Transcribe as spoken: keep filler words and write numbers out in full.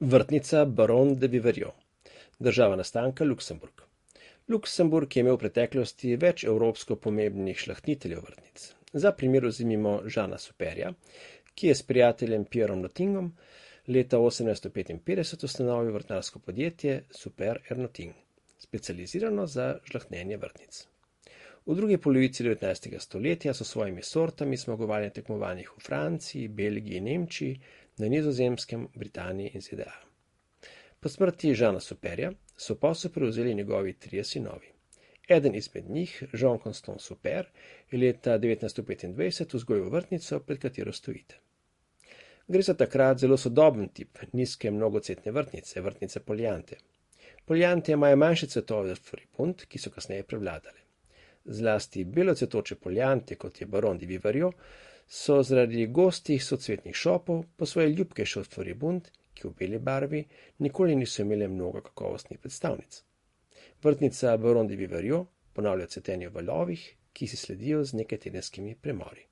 Vrtnica Baron de Viveriot. Država nastanka Luksemburg. Luksemburg je imel v preteklosti več evropsko pomembnih šlahtiteljev vrtnic. Za primer vzemimo Jeana Superja, ki je s prijateljem Pierrom Nottingom leta osemnajststo petinpetdeset ustanovil vrtnarsko podjetje Super Ernoting, specializirano za žlahtnjenje vrtnic. V drugi polovici devetnajstega stoletja so svojimi sortami zmagovali na tekmovanjih v Franciji, Belgiji in Nemčiji, na Nizozemskem, Britaniji in Z D A. Po smrti Jeana Superja so posel prevzeli njegovi trije sinovi. Eden izmed njih, Jean-Constant Super, je leta devetnajststo petindvajset vzgojil vrtnico, pred katero stojite. Gre za takrat zelo sodoben tip nizke mnogocvetne vrtnice, vrtnice poliante. Poliante imajo manjše cvetove od floribund, ki so kasneje prevladale. Zlasti belocvetoče poliante, kot je Baron de Viveriot, so zaradi gostih socvetnih šopov po svoje ljubkejše od floribund, ki v beli barvi nikoli niso imele mnogo kakovostnih predstavnic. Vrtnica Baron de Viveriot ponavlja cvetenje v valovih, ki si sledijo z nekajtedenskimi premori.